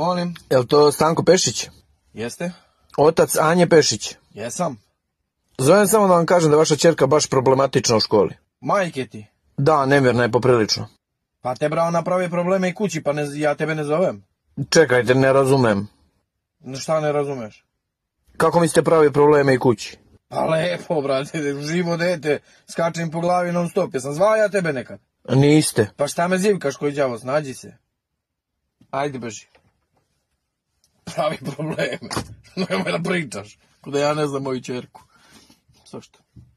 Molim. Jel to Stanko Pešić? Jeste? Otac Anje Pešić. Jesam. Zovem samo da vam kažem da je vaša ćerka baš problematična u školi. Majke ti. Da, nevjerna je poprilično. Pa te brao napravi probleme i kući, pa ja tebe ne zovem. Čekajte, ne razumem. Šta ne razumeš? Kako mislite pravi probleme i kući? Pa lepo, brate, živo dete, skačem po glavi non stop. Jesam zvao ja tebe nekad? Niste. Pa šta me zivkaš koji đavo, snađi se. Ajde, beži. Pravi probleme. Nemoj da pričaš. Kuda ja ne znam moju ćerku. Zašto?